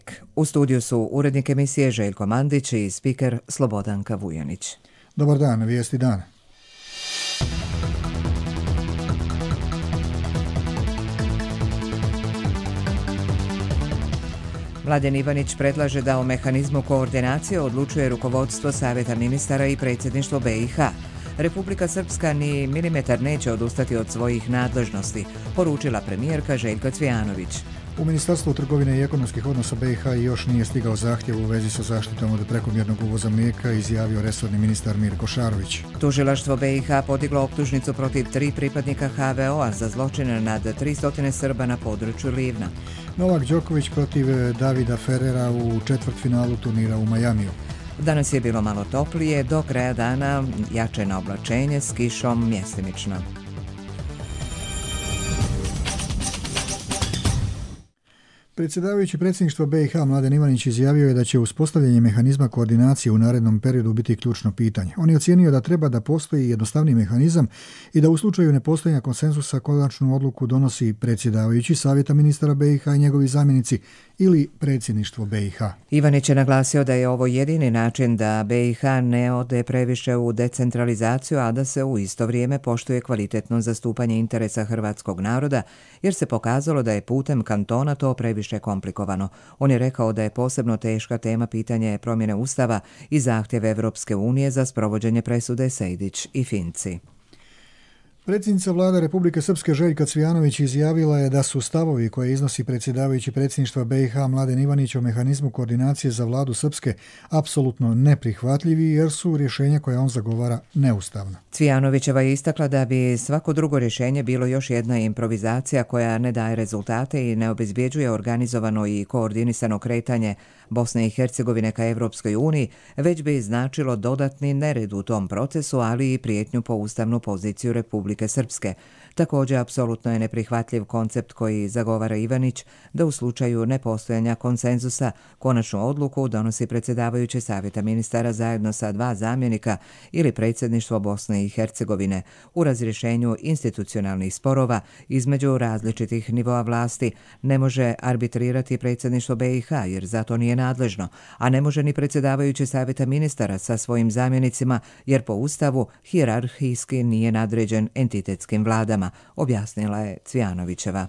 tek. U studiju su urednik emisije Željko Mandić i spiker Slobodanka Vujanić. Dobar dan, vijesti dana. Mladen Ivanić predlaže da o mehanizmu koordinacije odlučuje rukovodstvo Savjeta ministara i predsjedništvo BiH. Republika Srpska ni milimetar neće odustati od svojih nadležnosti, poručila premijerka Željka Cvijanović. U Ministarstvu trgovine i ekonomskih odnosa BiH još nije stigao zahtjev u vezi sa zaštitom od prekomjernog uvoza mlijeka, izjavio resorni ministar Mirko Šarović. Tužilaštvo BiH podiglo optužnicu protiv 3 pripadnika HVO-a za zločine nad 300 Srba na području Livna. Novak Đoković protiv Davida Ferrera u četvrtfinalu turnira u Majamiju. Danas je bilo malo toplije, do kraja dana jače na oblačenje s kišom mjestimično. Predsjedavajući predsjedništva BiH Mladen Ivanić izjavio je da će uspostavljanje mehanizma koordinacije u narednom periodu biti ključno pitanje. On je ocijenio da treba da postoji jednostavni mehanizam i da u slučaju nepostojanja konsenzusa konačnu odluku donosi predsjedavajući Savjeta ministara BiH i njegovi zamjenici ili predsjedništvo BiH. Ivanić je naglasio da je ovo jedini način da BiH ne ode previše u decentralizaciju, a da se u isto vrijeme poštuje kvalitetno zastupanje interesa hrvatskog naroda, jer se pokazalo da je putem kantona to previše komplikovano. On je rekao da je posebno teška tema pitanje promjene ustava i zahtjev Evropske unije za sprovođenje presude Sejdić i Finci. Predsjednica vlade Republike Srpske Željka Cvijanović izjavila je da su stavovi koje iznosi predsjedavajući predsjedništva BiH Mladen Ivanić o mehanizmu koordinacije za vladu Srpske apsolutno neprihvatljivi jer su rješenja koja on zagovara neustavna. Cvijanovićeva je istakla da bi svako drugo rješenje bilo još jedna improvizacija koja ne daje rezultate i ne obezbjeđuje organizovano i koordinisano kretanje Bosne i Hercegovine ka Evropskoj uniji, već bi značilo dodatni nered u tom procesu, ali i prijetnju po ustavnu poziciju Republike Srpske. Također, apsolutno je neprihvatljiv koncept koji zagovara Ivanić da u slučaju nepostojanja konsenzusa konačnu odluku donosi predsjedavajući Savjeta ministara zajedno sa 2 zamjenika ili predsjedništvo Bosne i Hercegovine u razrješenju institucionalnih sporova između različitih nivoa vlasti. Ne može arbitrirati predsjedništvo BiH jer zato nije nadležno, a ne može ni predsjedavajući Savjeta ministara sa svojim zamjenicima jer po Ustavu hijerarhijski nije nadređen entitetskim vladama, objasnila je Cvijanovićeva.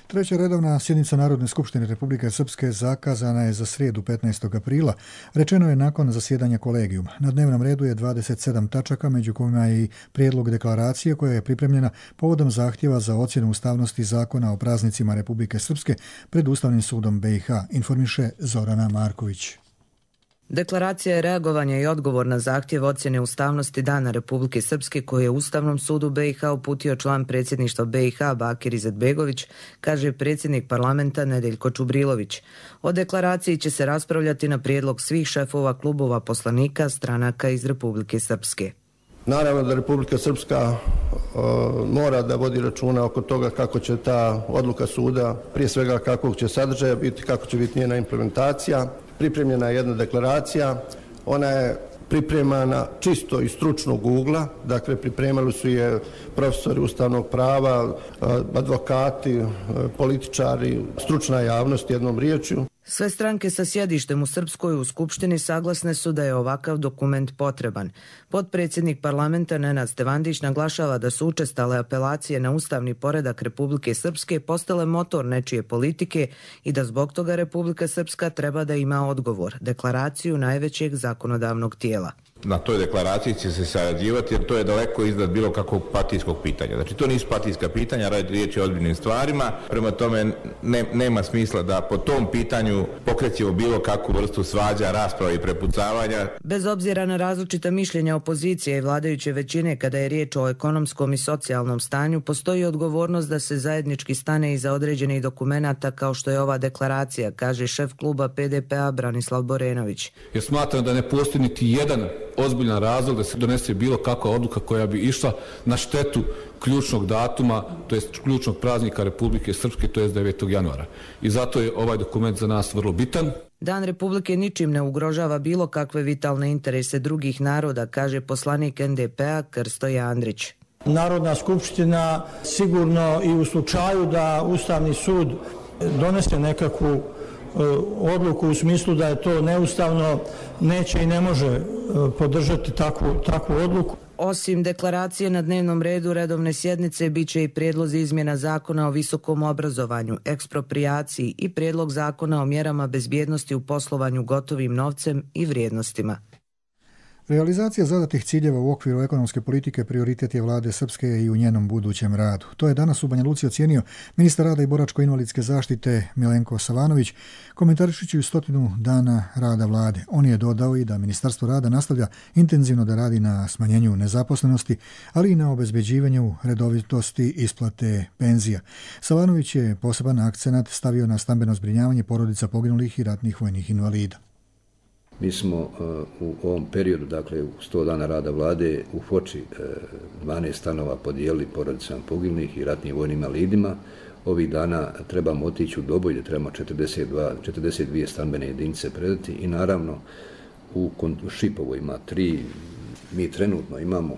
Treća redovna sjednica Narodne skupštine Republike Srpske zakazana je za srijedu 15. aprila, rečeno je nakon zasjedanja kolegijuma. Na dnevnom redu je 27 tačaka, među kojima je i prijedlog deklaracije koja je pripremljena povodom zahtjeva za ocjenu ustavnosti zakona o praznicima Republike Srpske pred Ustavnim sudom BiH, informiše Zorana Marković. Deklaracija je reagovanje i odgovor na zahtjev ocjene ustavnosti Dana Republike Srpske koji je Ustavnom sudu BiH uputio član predsjedništva BiH Bakir Izetbegović, kaže predsjednik parlamenta Nedeljko Čubrilović. O deklaraciji će se raspravljati na prijedlog svih šefova klubova poslanika stranaka iz Republike Srpske. Naravno da Republika Srpska mora da vodi računa oko toga kako će ta odluka suda, prije svega kakvog će sadržaja biti, kako će biti njena implementacija. Pripremljena je jedna deklaracija, ona je pripremana čisto iz stručnog ugla, dakle pripremali su je profesori ustavnog prava, advokati, političari, stručna javnost jednom riječju. Sve stranke sa sjedištem u Srpskoj u Skupštini saglasne su da je ovakav dokument potreban. Potpredsjednik parlamenta Nenad Stevandić naglašava da su učestale apelacije na ustavni poredak Republike Srpske postale motor nečije politike i da zbog toga Republika Srpska treba da ima odgovor, deklaraciju najvećeg zakonodavnog tijela. Na toj deklaraciji će se sarađivati jer to je daleko iznad bilo kakvog partijskog pitanja. Znači to nisu partijska pitanja, riječ je o ozbiljnim stvarima, prema tome nema smisla da po tom pitanju pokrećemo bilo kakvu vrstu svađa, rasprava i prepucavanja. Bez obzira na različita mišljenja opozicije i vladajuće većine kada je riječ o ekonomskom i socijalnom stanju, postoji odgovornost da se zajednički stane iza određenih dokumenata kao što je ova deklaracija, kaže šef kluba PDP-a Branislav Borenović. Jer smatram da ne postoji niti jedan ozbiljan razlog da se donese bilo kakva odluka koja bi išla na štetu ključnog datuma, to jest ključnog praznika Republike Srpske, to jest 9. januara. I zato je ovaj dokument za nas vrlo bitan. Dan Republike ničim ne ugrožava bilo kakve vitalne interese drugih naroda, kaže poslanik NDP-a Krsto Jandrić. Narodna skupština sigurno i u slučaju da Ustavni sud donese nekakvu odluku u smislu da je to neustavno, neće i ne može podržati takvu odluku. Osim deklaracije na dnevnom redu redovne sjednice bit će i prijedlozi izmjena zakona o visokom obrazovanju, eksproprijaciji i prijedlog zakona o mjerama bezbjednosti u poslovanju gotovim novcem i vrijednostima. Realizacija zadatih ciljeva u okviru ekonomske politike prioritet je vlade Srpske i u njenom budućem radu. To je danas u Banja Luci ocijenio ministar rada i boračko-invalidske zaštite Milenko Savanović, komentarišući 100 dana rada vlade. On je dodao i da Ministarstvo rada nastavlja intenzivno da radi na smanjenju nezaposlenosti, ali i na obezbeđivanju redovitosti isplate penzija. Savanović je poseban akcenat stavio na stambeno zbrinjavanje porodica poginulih i ratnih vojnih invalida. Mi smo u ovom periodu, dakle u 100 dana rada vlade, u Foči 12 stanova podijelili porodicama poginulih i ratnim vojnim invalidima. Ovih dana trebamo otići u Doboj gdje trebamo 42 stambene jedinice predati i naravno u Šipovu ima 3, mi trenutno imamo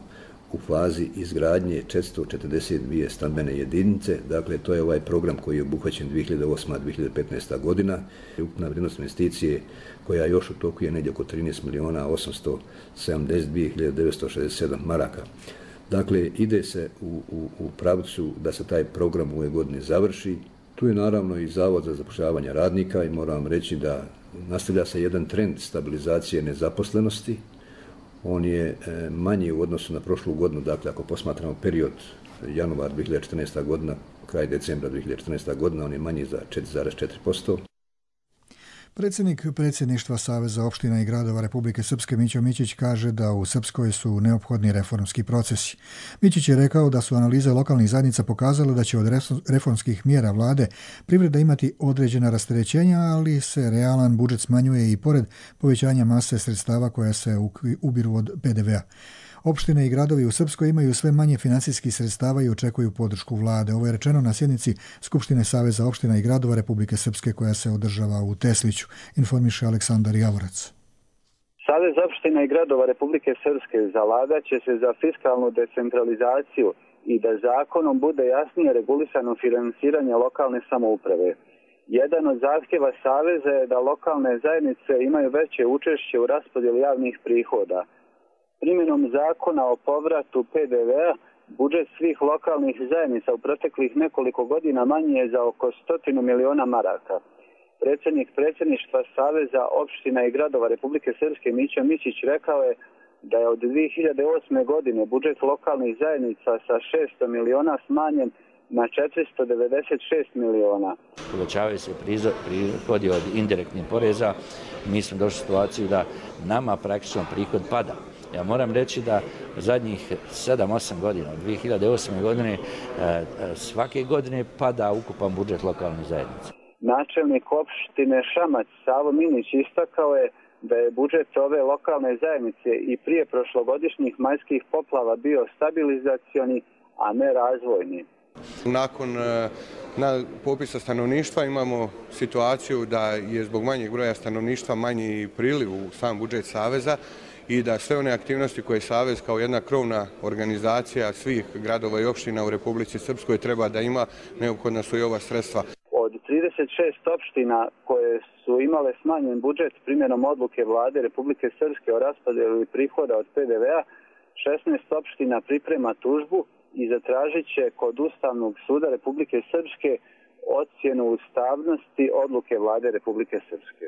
u fazi izgradnje 442 stambene jedinice, dakle to je ovaj program koji je obuhvaćen 2008-2015. godina. Ukupna vrijednost investicije koja još u toku je negdje oko 13.872.967 maraka. Dakle, ide se u pravcu da se taj program u ovoj godini završi. Tu je naravno i Zavod za zapošljavanje radnika i moram reći da nastavlja se jedan trend stabilizacije nezaposlenosti. On je manji u odnosu na prošlu godinu, dakle ako posmatramo period januar 2014. godina, kraj decembra 2014. godina, on je manji za 4,4%. Predsjednik predsjedništva Saveza opština i gradova Republike Srpske Mićo Mićić kaže da u Srpskoj su neophodni reformski procesi. Mićić je rekao da su analize lokalnih zajednica pokazale da će od reformskih mjera vlade privreda imati određena rasterećenja, ali se realan budžet smanjuje i pored povećanja mase sredstava koja se ubiru od PDV-a. Opštine i gradovi u Srpskoj imaju sve manje financijskih sredstava i očekuju podršku vlade. Ovo je rečeno na sjednici Skupštine Saveza opština i gradova Republike Srpske koja se održava u Tesliću, informiše Aleksandar Javorac. Savez opština i gradova Republike Srpske zalagat će se za fiskalnu decentralizaciju i da zakonom bude jasnije regulisano finansiranje lokalne samouprave. Jedan od zahtjeva Saveza je da lokalne zajednice imaju veće učešće u raspodjeli javnih prihoda. Primjenom zakona o povratu PDV-a budžet svih lokalnih zajednica u proteklih nekoliko godina manji je za oko 100 miliona maraka. Predsjednik predsjedništva Saveza opština i gradova Republike Srpske Mićo Mićić rekao je da je od 2008. godine budžet lokalnih zajednica sa 600 miliona smanjen na 496 miliona. Povećavaju se prihodi od indirektnih poreza. Mi smo došli u situaciju da nama praktično prihod pada. Ja moram reći da zadnjih 7-8 godina, od 2008. godine, svake godine pada ukupan budžet lokalnih zajednica. Načelnik opštine Šamac Savo Minić istakao je da je budžet ove lokalne zajednice i prije prošlogodišnjih majskih poplava bio stabilizacioni, a ne razvojni. Nakon popisa stanovništva imamo situaciju da je zbog manjeg broja stanovništva manji priliv u sam budžet Saveza i da sve one aktivnosti koje Savez kao jedna krovna organizacija svih gradova i opština u Republici Srpskoj treba da ima, neophodna su i ova sredstva. Od 36 opština koje su imale smanjen budžet primjenom odluke vlade Republike Srpske o raspodjeli prihoda od PDV-a, 16 opština priprema tužbu i zatražit će kod Ustavnog suda Republike Srpske ocjenu ustavnosti odluke vlade Republike Srpske.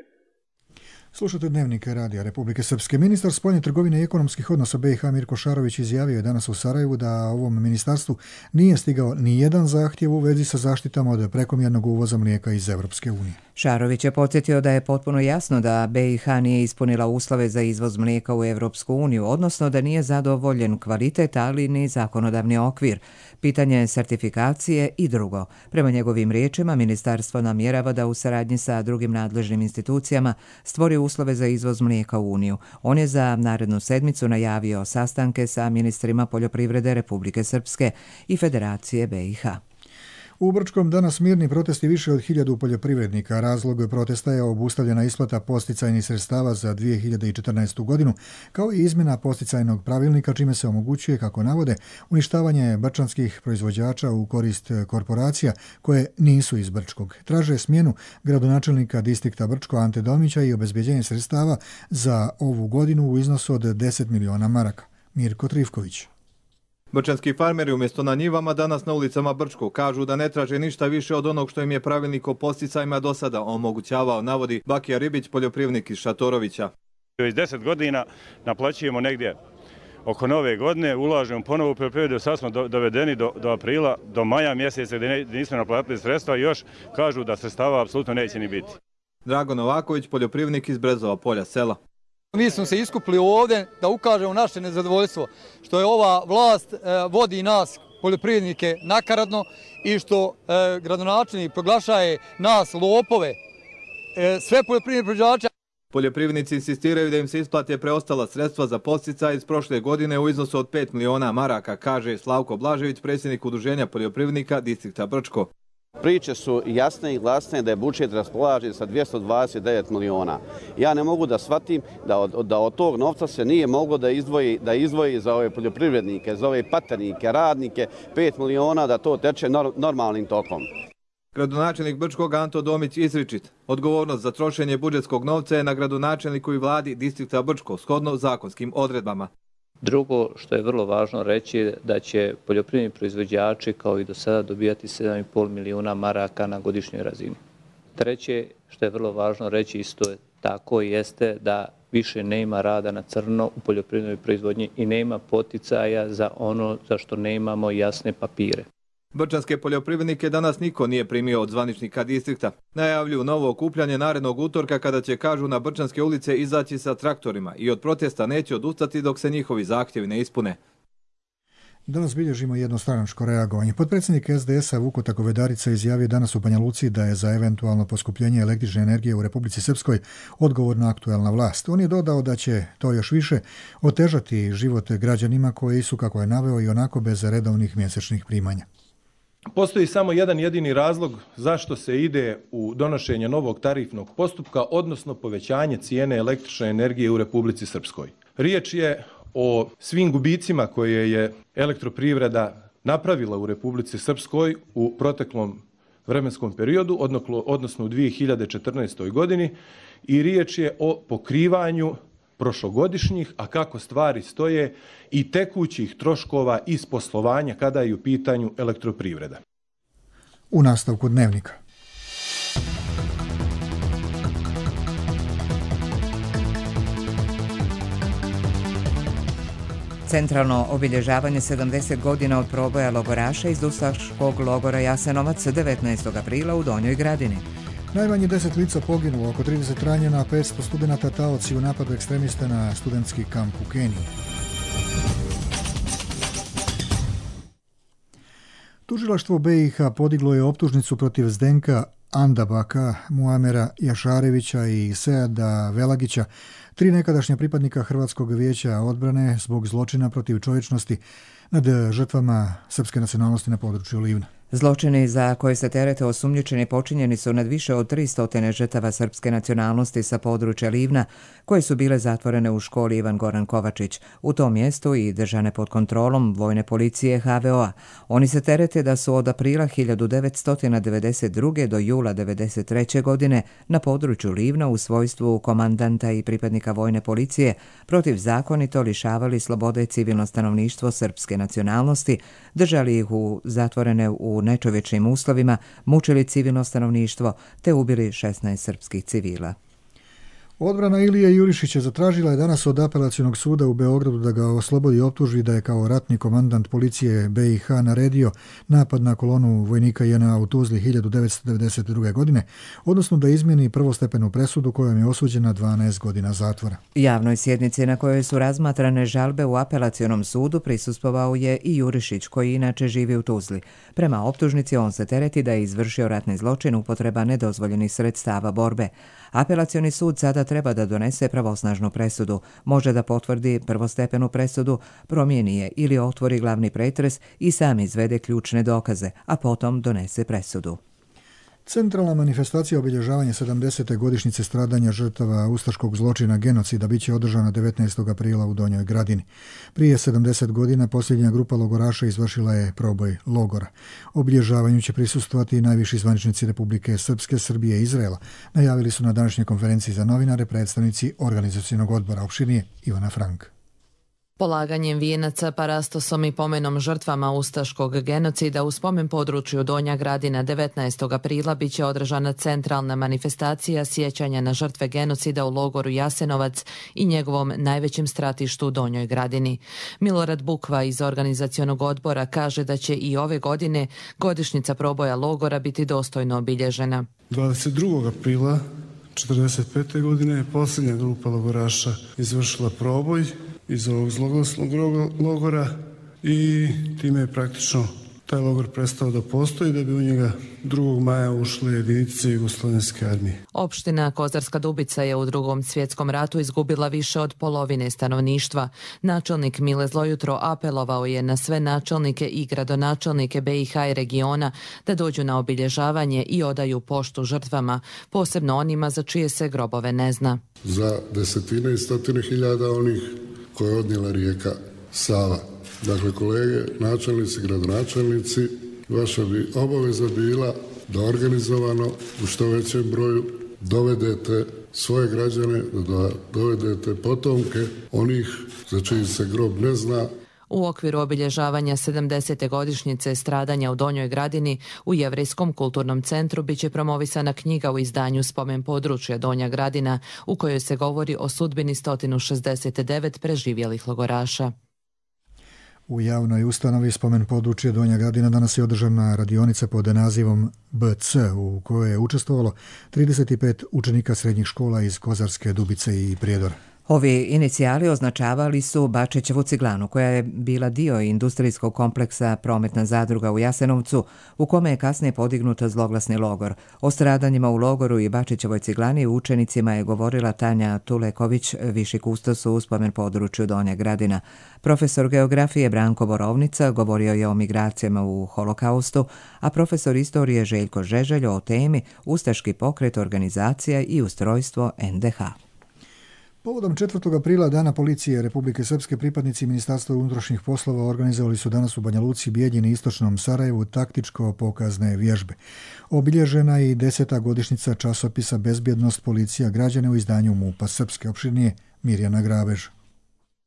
Slušate Dnevnik radija Republike Srpske. Ministar spoljne trgovine i ekonomskih odnosa BiH Mirko Šarović izjavio je danas u Sarajevu da ovom ministarstvu nije stigao ni jedan zahtjev u vezi sa zaštitama od prekomjernog uvoza mlijeka iz Evropske unije. Šarović je podsjetio da je potpuno jasno da BiH nije ispunila uslove za izvoz mlijeka u Evropsku uniju, odnosno da nije zadovoljen kvalitet, ali ni zakonodavni okvir, pitanje sertifikacije i drugo. Prema njegovim riječima, ministarstvo namjerava da u saradnji sa drugim nadležnim institucijama stvori uslove za izvoz mlijeka u Uniju. On je za narednu sedmicu najavio sastanke sa ministrima poljoprivrede Republike Srpske i Federacije BiH. U Brčkom danas mirni protesti više od 1000 poljoprivrednika. Razlog protesta je obustavljena isplata posticajnih sredstava za 2014. godinu, kao i izmjena posticajnog pravilnika, čime se omogućuje, kako navode, uništavanje brčanskih proizvođača u korist korporacija koje nisu iz Brčkog. Traže smjenu gradonačelnika distrikta Brčko Ante Domića i obezbeđenje sredstava za ovu godinu u iznosu od 10 miliona maraka. Mirko Trivković. Brčanski farmeri umjesto na njivama danas na ulicama Brčkog kažu da ne traže ništa više od onog što im je pravilnik o posticajima do sada omogućavao, navodi Bakija Ribić, poljoprivrednik iz Šatorovića. Već 10 godina naplaćujemo negdje oko nove godine, ulažemo ponovo u poljoprivredu, sad smo dovedeni do aprila, do maja mjeseca gdje nismo naplatili sredstva i još kažu da sredstava apsolutno neće ni biti. Drago Novaković, poljoprivrednik iz Brezova polja sela. Mi smo se iskupili ovdje da ukažemo naše nezadovoljstvo što je ova vlast vodi nas poljoprivrednike nakaradno i što gradonačelnik proglašaje nas lopove, sve poljoprivredne proizvođače. Poljoprivrednici insistiraju da im se isplate preostala sredstva za podsticaj iz prošle godine u iznosu od 5 miliona maraka, kaže Slavko Blažević, predsjednik Udruženja poljoprivrednika distrikta Brčko. Priče su jasne i glasne da je budžet raspolažen sa 229 miliona. Ja ne mogu da shvatim da od tog novca se nije moglo da izdvoji za ove poljoprivrednike, za ove paternike, radnike, 5 miliona da to teče normalnim tokom. Gradonačelnik Brčkog Anto Domić izričit. Odgovornost za trošenje budžetskog novca je na gradonačelniku i vladi distrikta Brčko, shodno zakonskim odredbama. Drugo što je vrlo važno reći da će poljoprivredni proizvođači kao i do sada dobijati 7,5 milijuna maraka na godišnjoj razini. Treće što je vrlo važno reći isto je tako jeste da više nema rada na crno u poljoprivrednoj proizvodnji i nema poticaja za ono za što nemamo jasne papire. Brčanske poljoprivrednike danas niko nije primio od zvaničnika distrikta. Najavljuju novo okupljanje narednog utorka kada će, kažu, na Brčanske ulice izaći sa traktorima i od protesta neće odustati dok se njihovi zahtjevi ne ispune. Danas bilježimo jednostranačko reagovanje. Potpredsjednik SDS-a Vuko Takovedarica izjavio danas u Banja Luci da je za eventualno poskupljenje električne energije u Republici Srpskoj odgovorna aktuelna vlast. On je dodao da će to još više otežati život građanima koji su, kako je naveo, i onako bez redovnih mjesečnih primanja. Postoji samo jedan jedini razlog zašto se ide u donošenje novog tarifnog postupka, odnosno povećanje cijene električne energije u Republici Srpskoj. Riječ je o svim gubicima koje je elektroprivreda napravila u Republici Srpskoj u proteklom vremenskom periodu, odnosno u 2014. godini, i riječ je o pokrivanju prošlogodišnjih, a kako stvari stoje, i tekućih troškova iz poslovanja kada je u pitanju elektroprivreda. U nastavku dnevnika. Centralno obilježavanje 70 godina od proboja logoraša iz ustaškog logora Jasenovac 19. aprila u Donjoj Gradini. Najmanje 10 lica poginulo, oko 30 ranjena, 500 studenata taoci u napadu ekstremista na studentski kamp u Keniji. Tužilaštvo BiH podiglo je optužnicu protiv Zdenka Andabaka, Muamera Jašarevića i Seada Velagića, 3 nekadašnja pripadnika Hrvatskog vijeća odbrane zbog zločina protiv čovječnosti nad žrtvama srpske nacionalnosti na području Livna. Zločini za koje se terete osumnjičeni počinjeni su nad više od 300 žrtava srpske nacionalnosti sa područja Livna, koje su bile zatvorene u školi Ivan Goran Kovačić, u tom mjestu i držane pod kontrolom vojne policije HVO-a. Oni se terete da su od aprila 1992. do jula 1993. godine na području Livna u svojstvu komandanta i pripadnika vojne policije protivzakonito lišavali slobode civilno stanovništvo srpske nacionalnosti, držali ih zatvorene u nečovječnim uslovima, mučili civilno stanovništvo te ubili 16 srpskih civila. Odbrana Ilije Jurišića zatražila je danas od apelacionog suda u Beogradu da ga oslobodi optužbi da je kao ratni komandant policije BiH naredio napad na kolonu vojnika JNA u Tuzli 1992. godine, odnosno da izmijeni prvostepenu presudu kojom je osuđena 12 godina zatvora. Javnoj sjednici na kojoj su razmatrane žalbe u apelacionom sudu prisustvovao je i Jurišić, koji inače živi u Tuzli. Prema optužnici on se tereti da je izvršio ratni zločin upotreba nedozvoljenih sredstava borbe. Apelacioni sud sada treba da donese pravosnažnu presudu, može da potvrdi prvostepenu presudu, promijeni je ili otvori glavni pretres i sam izvede ključne dokaze, a potom donese presudu. Centralna manifestacija obilježavanja 70. godišnjice stradanja žrtava ustaškog zločina genocida biće održana 19. aprila u Donjoj Gradini. Prije 70 godina posljednja grupa logoraša izvršila je proboj logora. Obilježavanju će prisustvovati i najviši zvaničnici Republike Srpske, Srbije i Izraela, najavili su na današnjoj konferenciji za novinare predstavnici organizacionog odbora. Opširnije Ivana Frank. Polaganjem vijenaca, parastosom i pomenom žrtvama ustaškog genocida u spomen području Donja Gradina 19. aprila biće održana centralna manifestacija sjećanja na žrtve genocida u logoru Jasenovac i njegovom najvećem stratištu u Donjoj Gradini. Milorad Bukva iz organizacionog odbora kaže da će i ove godine godišnjica proboja logora biti dostojno obilježena. 22. aprila 1945. godine posljednja grupa logoraša izvršila proboj iz ovog zloglasnog logora i time je praktično taj logor prestao da postoji, da bi u njega 2. maja ušle jedinice Jugoslovenske armije. Opština Kozarska Dubica je u Drugom svjetskom ratu izgubila više od polovine stanovništva. Načelnik Mile Zlojutro apelovao je na sve načelnike i gradonačelnike BiH i regiona da dođu na obilježavanje i odaju poštu žrtvama, posebno onima za čije se grobove ne zna. Za desetine i stotine hiljada onih koje je odnijela rijeka Sava. Dakle, kolege, načelnici, gradonačelnici, vaša bi obaveza bila da organizovano u što većem broju dovedete svoje građane, da dovedete potomke onih za čiji se grob ne zna. U okviru obilježavanja 70. godišnjice stradanja u Donjoj Gradini u Jevrejskom kulturnom centru biće promovisana knjiga u izdanju Spomen područja Donja Gradina u kojoj se govori o sudbini 169 preživjelih logoraša. U javnoj ustanovi Spomen područje Donja Gradina danas je održana radionica pod nazivom BC u kojoj je učestvovalo 35 učenika srednjih škola iz Kozarske Dubice i Prijedora. Ovi inicijali označavali su Bačićevu ciglanu, koja je bila dio industrijskog kompleksa Prometna zadruga u Jasenovcu, u kome je kasnije podignut zloglasni logor. O stradanjima u logoru i Bačićevoj ciglani učenicima je govorila Tanja Tuleković, viši kustos u Spomen području Donja Gradina. Profesor geografije Branko Borovnica govorio je o migracijama u holokaustu, a profesor istorije Željko Žeželj o temi Ustaški pokret, organizacija i ustrojstvo NDH. Povodom 4. aprila, Dana policije Republike Srpske, pripadnici Ministarstva unutrašnjih poslova organizovali su danas u Banja Luci, Bijeljini i Istočnom Sarajevu taktičko-pokazne vježbe. Obilježena je i 10. godišnjica časopisa Bezbjednost policija građane u izdanju MUP-a Srpske. Opširnije Mirjana Grabež.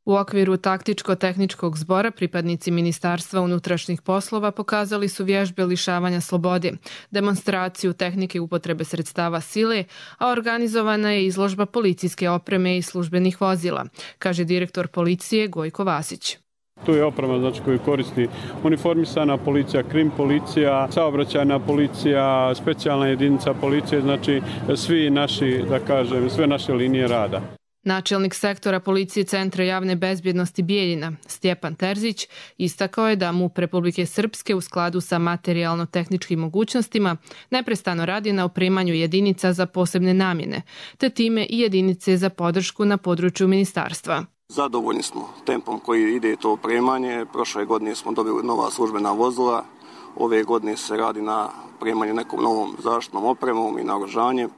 U okviru taktičko-tehničkog zbora pripadnici Ministarstva unutrašnjih poslova pokazali su vježbe lišavanja slobode, demonstraciju tehnike upotrebe sredstava sile, a organizovana je izložba policijske opreme i službenih vozila, kaže direktor policije Gojko Vasić. Tu je oprema koju koristi uniformisana policija, krim policija, saobraćajna policija, specijalna jedinica policije, svi naši, sve naše linije rada. Načelnik sektora policije Centra javne bezbjednosti Bijeljina, Stjepan Terzić, istakao je da MUP Republike Srpske u skladu sa materijalno-tehničkim mogućnostima neprestano radi na opremanju jedinica za posebne namjene, te time i jedinice za podršku na području ministarstva. Zadovoljni smo tempom koji ide to opremanje. Prošle godine smo dobili nova službena vozila. Ove godine se radi na opremanju nekom novom zaštitnom opremom i naoružanjem.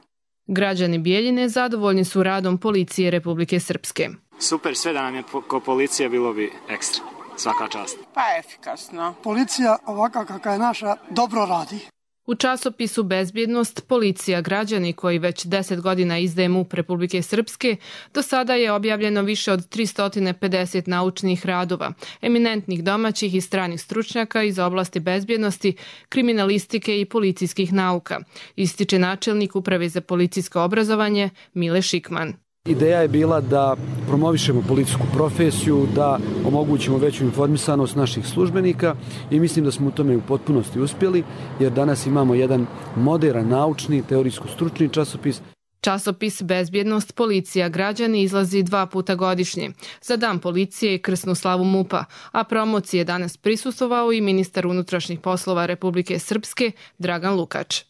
Građani Bijeljine zadovoljni su radom policije Republike Srpske. Super, sve da nam je ko policija bilo bi ekstra. Svaka čast. Pa efikasno. Policija ovakva kakva je naša dobro radi. U časopisu Bezbjednost policija građani koji već 10 godina izdaje MUP Republike Srpske, do sada je objavljeno više od 350 naučnih radova, eminentnih domaćih i stranih stručnjaka iz oblasti bezbjednosti, kriminalistike i policijskih nauka, ističe načelnik Uprave za policijsko obrazovanje Mile Šikman. Ideja je bila da promovišemo policijsku profesiju, da omogućimo veću informisanost naših službenika i mislim da smo u tome u potpunosti uspjeli, jer danas imamo jedan moderan, naučni, teorijsko-stručni časopis. Časopis Bezbjednost policija građani izlazi 2 puta godišnje, za Dan policije i krsnu slavu MUP-a, a promociji je danas prisustvovao i ministar unutrašnjih poslova Republike Srpske Dragan Lukač.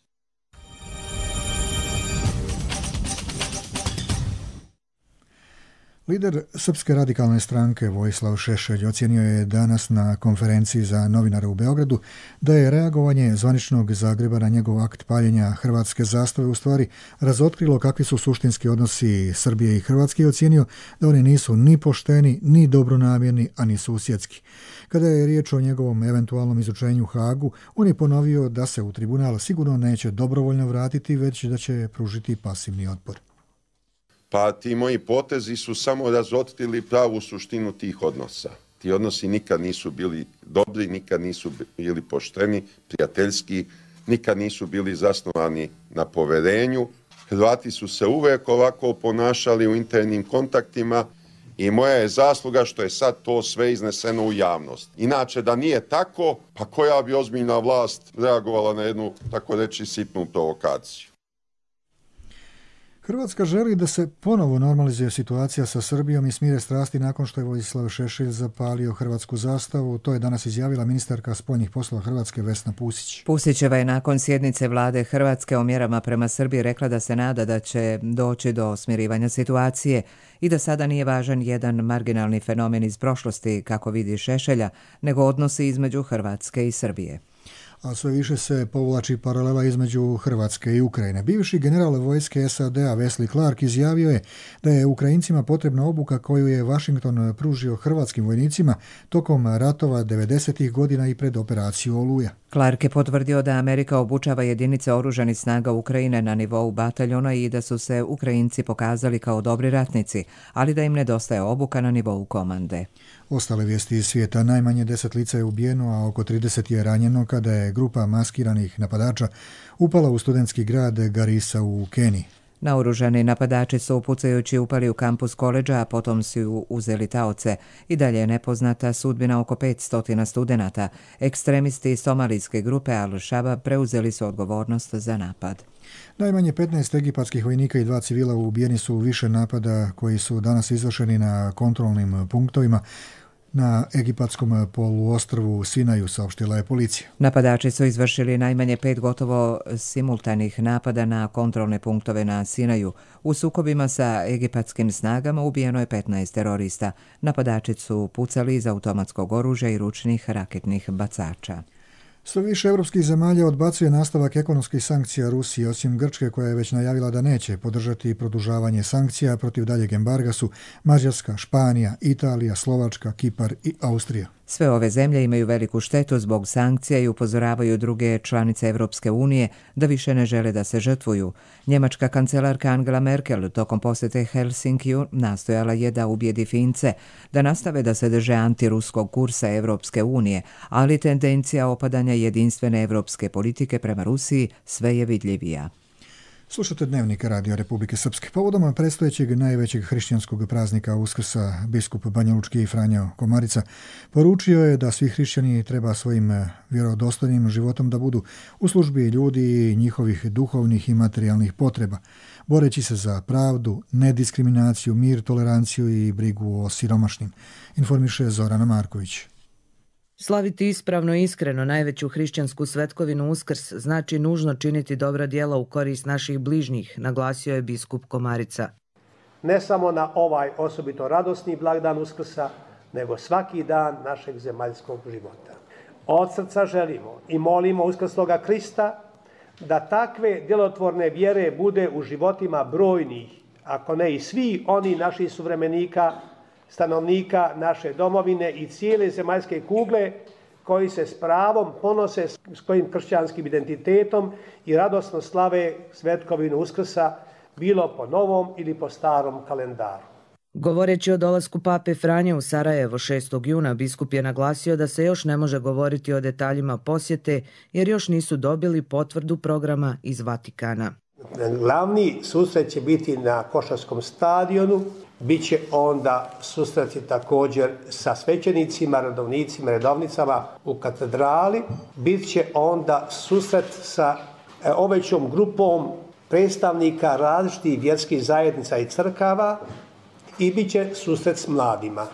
Lider Srpske radikalne stranke Vojislav Šešelj ocjenio je danas na konferenciji za novinare u Beogradu da je reagovanje zvaničnog Zagreba na njegov akt paljenja hrvatske zastave u stvari razotkrilo kakvi su suštinski odnosi Srbije i Hrvatske i ocjenio da oni nisu ni pošteni, ni dobronamjerni, a ni susjedski. Kada je riječ o njegovom eventualnom izučenju u Hagu, on je ponovio da se u tribunal sigurno neće dobrovoljno vratiti, već da će pružiti pasivni otpor. Pa ti moji potezi su samo razotkrili pravu suštinu tih odnosa. Ti odnosi nikad nisu bili dobri, nikad nisu bili pošteni, prijateljski, nikad nisu bili zasnovani na poverenju. Hrvati su se uvek ovako ponašali u internim kontaktima i moja je zasluga što je sad to sve izneseno u javnost. Inače, da nije tako, pa koja bi ozbiljna vlast reagovala na jednu, tako reći, sitnu provokaciju? Hrvatska želi da se ponovo normalizuje situacija sa Srbijom i smire strasti nakon što je Vojislav Šešelj zapalio hrvatsku zastavu. To je danas izjavila ministarka spoljnih poslova Hrvatske Vesna Pusić. Pusićeva je nakon sjednice vlade Hrvatske o mjerama prema Srbiji rekla da se nada da će doći do smirivanja situacije i da sada nije važan jedan marginalni fenomen iz prošlosti, kako vidi Šešelja, nego odnosi između Hrvatske i Srbije. A sve više se povlači paralela između Hrvatske i Ukrajine. Bivši general vojske SAD-a Wesley Clark izjavio je da je Ukrajincima potrebna obuka koju je Washington pružio hrvatskim vojnicima tokom ratova 90. godina i pred operaciju Oluja. Clark je potvrdio da Amerika obučava jedinice oružanih snaga Ukrajine na nivou bataljona i da su se Ukrajinci pokazali kao dobri ratnici, ali da im nedostaje obuka na nivou komande. Ostale vijesti iz svijeta: najmanje 10 lica je ubijeno, a oko 30 je ranjeno kada je grupa maskiranih napadača upala u studentski grad Garissa u Keniji. Naoružani napadači su pucajući upali u kampus koledža, a potom su uzeli taoce. I dalje je nepoznata sudbina oko 500 studenata. Ekstremisti somalijske grupe Al-Shabaab preuzeli su odgovornost za napad. Najmanje 15 egipatskih vojnika i 2 civila ubijeni su u više napada koji su danas izvršeni na kontrolnim punktovima na egipatskom poluostrvu Sinaju, saopštila je policija. Napadači su izvršili najmanje 5 gotovo simultanih napada na kontrolne punktove na Sinaju. U sukobima sa egipatskim snagama ubijeno je 15 terorista. Napadači su pucali iz automatskog oružja i ručnih raketnih bacača. Sve više evropskih zemalja odbacuje nastavak ekonomskih sankcija Rusiji, osim Grčke koja je već najavila da neće podržati produžavanje sankcija. Protiv daljeg embarga su Mađarska, Španija, Italija, Slovačka, Kipar i Austrija. Sve ove zemlje imaju veliku štetu zbog sankcija i upozoravaju druge članice Evropske unije da više ne žele da se žrtvuju. Njemačka kancelarka Angela Merkel tokom posjete Helsinkiju nastojala je da ubijedi Fince da nastave da se drže antiruskog kursa Evropske unije, ali tendencija opadanja jedinstvene evropske politike prema Rusiji sve je vidljivija. Slušate Dnevnik Radio Republike Srpske. Povodom predstojećeg najvećeg hrišćanskog praznika Uskrsa, biskup Banjalučki Franjo Komarica poručio je da svi hrišćani treba svojim vjerodostojnim životom da budu u službi ljudi i njihovih duhovnih i materijalnih potreba, boreći se za pravdu, nediskriminaciju, mir, toleranciju i brigu o siromašnim, informiše Zorana Marković. Slaviti ispravno i iskreno najveću hrišćansku svetkovinu Uskrs znači nužno činiti dobra djela u korist naših bližnjih, naglasio je biskup Komarica. Ne samo na ovaj osobito radosni blagdan Uskrsa, nego svaki dan našeg zemaljskog života. Od srca želimo i molimo uskrsloga Krista da takve djelotvorne vjere bude u životima brojnih, ako ne i svi oni naših suvremenika, stanovnika naše domovine i cijele zemaljske kugle koji se s pravom ponose svojim kršćanskim identitetom i radosno slave svetkovinu Uskrsa, bilo po novom ili po starom kalendaru. Govoreći o dolasku pape Franje u Sarajevo 6. juna, biskup je naglasio da se još ne može govoriti o detaljima posjete jer još nisu dobili potvrdu programa iz Vatikana. Glavni susret će biti na Košarskom stadionu, bit će onda susreti također sa svećenicima, redovnicama u katedrali, bit će onda susret sa ovećom grupom predstavnika različitih vjerskih zajednica i crkava i bit će susret s mladima.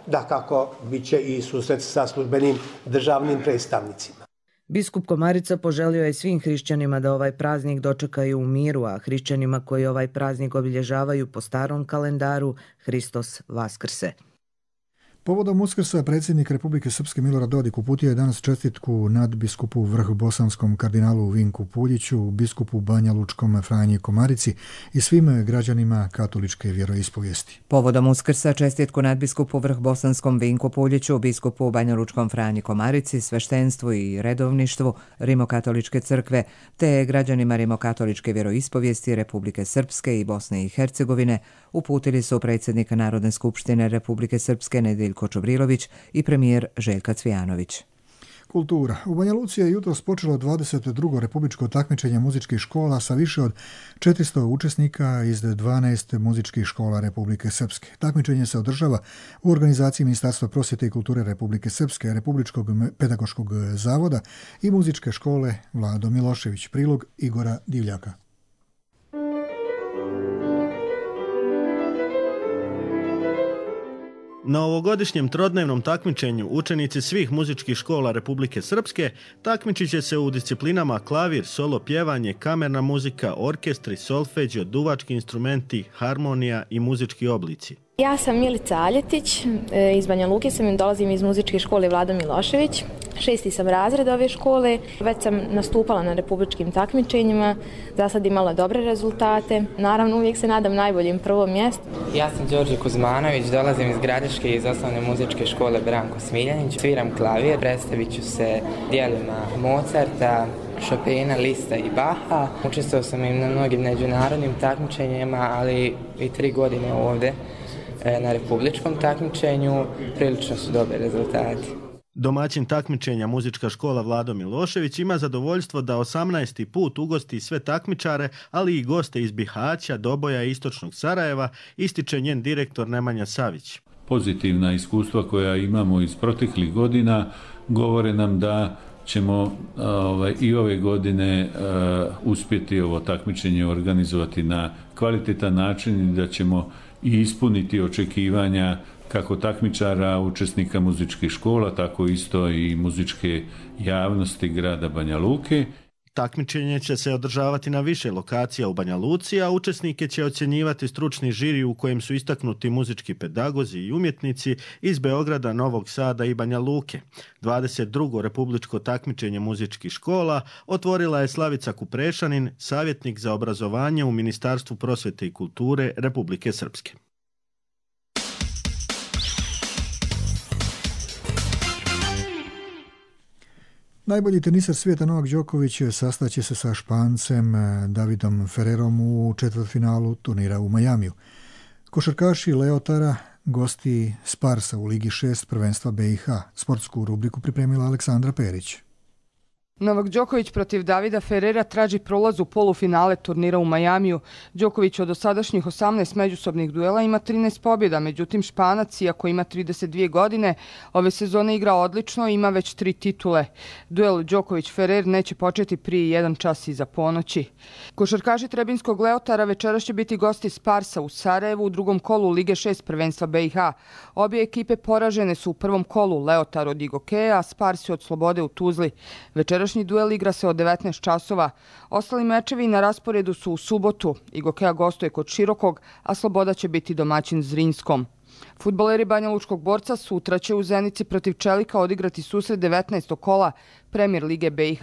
Dakako, bit će i susret sa službenim državnim predstavnicima. Biskup Komarica poželio je svim hrišćanima da ovaj praznik dočekaju u miru, a hrišćanima koji ovaj praznik obilježavaju po starom kalendaru Hristos Vaskrse. Povodom Uskrsa predsjednik Republike Srpske Milorad Dodik uputio je danas čestitku nadbiskupu vrhbosanskom kardinalu Vinku Puljiću, biskupu Banja Lučkom Franji Komarici i svim građanima katoličke vjeroispovijesti. Povodom Uskrsa čestitku nadbiskupu vrhbosanskom Vinku Puljiću, biskupu Banja Lučkom Franji Komarici, sveštenstvu i redovništvu Rimokatoličke crkve, te građanima Rimokatoličke vjeroispovijesti Republike Srpske i Bosne i Hercegovine uputili su predsjednika Narodne skupštine Republike Srpske Nedeljko Čubrilović i premijer Željka Cvijanović. Kultura. U Banja Luci je jutros počelo 22. republičko takmičenje muzičkih škola sa više od 400 učesnika iz 12 muzičkih škola Republike Srpske. Takmičenje se održava u organizaciji Ministarstva prosvjete i kulture Republike Srpske, Republičkog pedagoškog zavoda i muzičke škole Vlado Milošević. Prilog Igora Divljaka. Na ovogodišnjem trodnevnom takmičenju učenici svih muzičkih škola Republike Srpske takmičit će se u disciplinama klavir, solo pjevanje, kamerna muzika, orkestri, solfeđio, duvački instrumenti, harmonija i muzički oblici. Ja sam Milica Aljetić, iz Banja Luke sam i dolazim iz muzičke škole Vlado Milošević. 6. sam razred ove škole, već sam nastupala na republičkim takmičenjima, za sad imala dobre rezultate. Naravno, uvijek se nadam najboljim prvom mjestu. Ja sam Đorđe Kuzmanović, dolazim iz Gradiške iz osnovne muzičke škole Branko Smiljanić. Sviram klavir, predstavit ću se dijelima Mozarta, Chopina, Lista i Baha. Učestvovao sam i na mnogim međunarodnim takmičenjima, ali i 3 godine ovdje na republičkom takmičenju. Prilično su dobri rezultati. Domaćin takmičenja muzička škola Vlado Milošević ima zadovoljstvo da 18. put ugosti sve takmičare, ali i goste iz Bihaća, Doboja i istočnog Sarajeva, ističe njen direktor Nemanja Savić. Pozitivna iskustva koja imamo iz proteklih godina govore nam da ćemo i ove godine uspjeti ovo takmičenje organizovati na kvalitetan način i da ćemo i ispuniti očekivanja kako takmičara, učesnika muzičkih škola, tako isto i muzičke javnosti grada Banja Luke. Takmičenje će se održavati na više lokacija u Banja Luci, a učesnike će ocjenjivati stručni žiri u kojem su istaknuti muzički pedagozi i umjetnici iz Beograda, Novog Sada i Banja Luke. 22. republičko takmičenje muzičkih škola otvorila je Slavica Kuprešanin, savjetnik za obrazovanje u Ministarstvu prosvjete i kulture Republike Srpske. Najbolji teniser svijeta Novak Đoković sastaće se sa Špancem Davidom Ferrerom u četvrtfinalu turnira u Majamiju. Košarkaši Leotara gosti Sparsa u Ligi 6 prvenstva BiH. Sportsku rubriku pripremila Aleksandra Perić. Novak Đoković protiv Davida Ferrera traži prolaz u polufinale turnira u Majamiju. Đoković od dosadašnjih 18 međusobnih duela ima 13 pobjeda, međutim Španac, iako ima 32 godine, ove sezone igra odlično i ima već 3 titule. Duel Đoković-Ferrer neće početi prije 1 čas iza ponoći. Košarkaši Trebinskog Leotara večeras će biti gosti Sparsa u Sarajevu u drugom kolu Lige 6 prvenstva BiH. Obje ekipe poražene su u prvom kolu, Leotar od Igokeja, a Sparsi od Slobode u Tuzli. Večerašnji duel igra se od 19 časova. Ostali mečevi na rasporedu su u subotu. Igokeja gostuje kod Širokog, a Sloboda će biti domaćin Zrinskom. Fudbaleri Banja Lučkog Borca sutra će u Zenici protiv Čelika odigrati susret 19. kola Premier Lige BiH.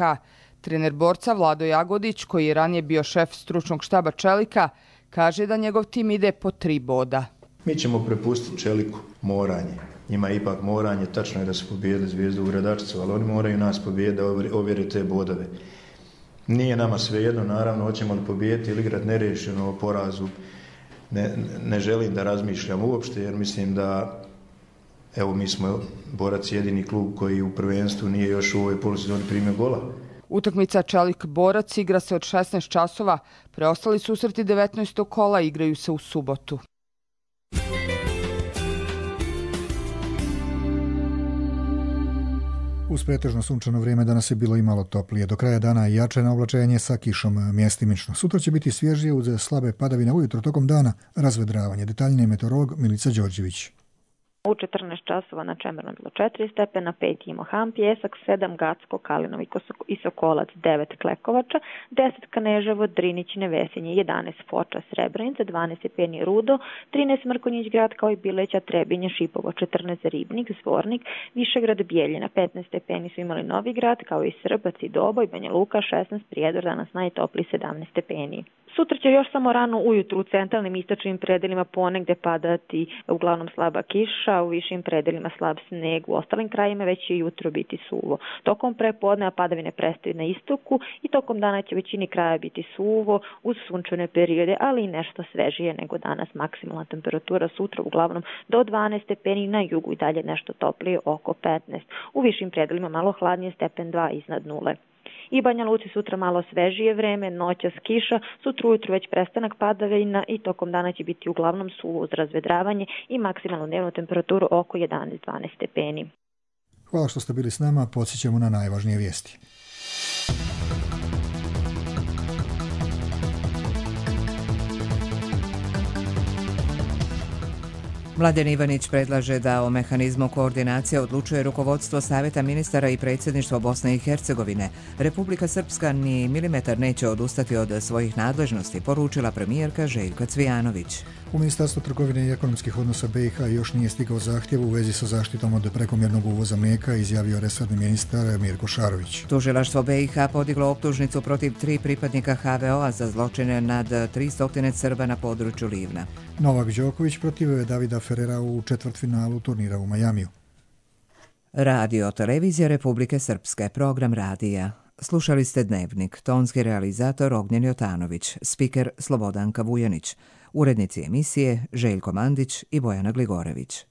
Trener Borca Vlado Jagodić, koji je ranije bio šef stručnog štaba Čelika, kaže da njegov tim ide po 3 boda. Mi ćemo prepustiti Čeliku moranje. Njima je ipak moranje, tačno je da su pobijedili Zvijezdu u Gradačcu, ali oni moraju nas pobijediti da ovjere te bodove. Nije nama svejedno, naravno, hoćemo li pobijediti ili igrati nerešeno o porazu. Ne želim da razmišljam uopšte, jer mislim da, evo, mi smo Borac jedini klub koji u prvenstvu nije još u ovoj polusezoni primio gola. Utakmica Čelik-Borac igra se od 16 časova, preostali susreti 19. kola igraju se u subotu. Uz pretežno sunčano vrijeme danas je bilo i malo toplije. Do kraja dana jače na oblačenje sa kišom mjestimično. Sutra će biti svježije uz slabe padavine, ujutro tokom dana razvedravanje. Detaljnije meteorolog Milica Đorđević. U 14 časova na Čemernom bilo 4 stepena, 5 Imohan, Pjesak, 7 Gacko, Kalinovi i Sokolac, 9 Klekovača, 10 Kaneževo, Drinić, Nevesinje, 11 Foča, Srebrenica, 12 stepeni Rudo, 13 Mrkonjić grad kao i Bileća, Trebinje, Šipovo, 14 Ribnik, Zvornik, Višegrad, Bijeljina, 15 stepeni su imali Novi grad kao i Srbac i Doboj, Banja Luka, 16 Prijedor, danas najtopliji 17 stepeni. Sutra će još samo rano ujutru u centralnim istočnim predelima ponegde padati uglavnom slaba kiša, u višim predelima slab sneg, u ostalim krajima već će jutro biti suvo. Tokom prepodneva padavine prestaju na istoku i tokom dana će većini kraja biti suvo uz sunčane periode, ali i nešto svežije nego danas. Maksimalna temperatura sutra uglavnom do 12 stepeni, na jugu i dalje nešto toplije oko 15. U višim predelima malo hladnije, stepen 2 iznad nule. I Banja Luci sutra malo svežije vreme, noćas kiša, sutra ujutru već prestanak padavina i tokom dana će biti uglavnom suvo uz razvedravanje i maksimalnu dnevnu temperaturu oko 11-12 stepeni. Hvala što ste bili s nama, podsjećamo na najvažnije vijesti. Mladen Ivanić predlaže da o mehanizmu koordinacije odlučuje rukovodstvo Savjeta ministara i predsjedništvo Bosne i Hercegovine. Republika Srpska ni milimetar neće odustati od svojih nadležnosti, poručila premijerka Željka Cvijanović. U Ministarstvu trgovine i ekonomskih odnosa BiH još nije stigao zahtjev u vezi sa zaštitom od prekomjernog uvoza mlijeka, izjavio resorni ministar Mirko Šarović. Tužilaštvo BiH podiglo optužnicu protiv 3 pripadnika HVO-a za zločine nad 300 Srba na području Livna. Novak Đoković protiv Davida Ferrera u četvrtfinalu turnira u Majamiju. Radio Televizija Republike Srpske, program radija. Slušali ste Dnevnik, tonski realizator Ognjen Jotanović, spiker Slobodanka Vujanić, urednici emisije Željko Mandić i Bojana Gligorević.